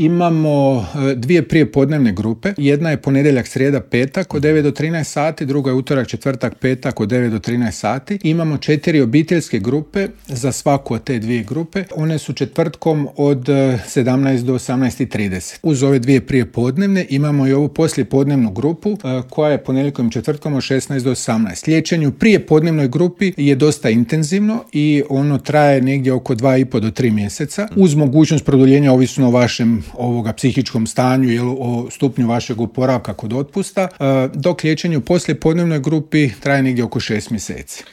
Imamo dvije prijepodnevne grupe. Jedna je ponedjeljak, srijeda, petak od 9 do 13 sati, druga je utorak, četvrtak, petak od 9 do 13 sati. Imamo 4 obiteljske grupe za svaku od te dvije grupe. One su četvrtkom od 17 do 18:30. Uz ove dvije prijepodnevne imamo i ovu poslijepodnevnu grupu koja je ponedjeljkom i četvrtkom od 16 do 18. Liječenje u prijepodnevnoj grupi je dosta intenzivno i ono traje negdje oko 2,5 do 3 mjeseca uz mogućnost produljenja ovisno o vašem psihičkom stanju, o stupnju vašeg oporavka kod otpusta, dok liječenje u poslijepodnevnoj grupi traje negdje oko 6 mjeseci.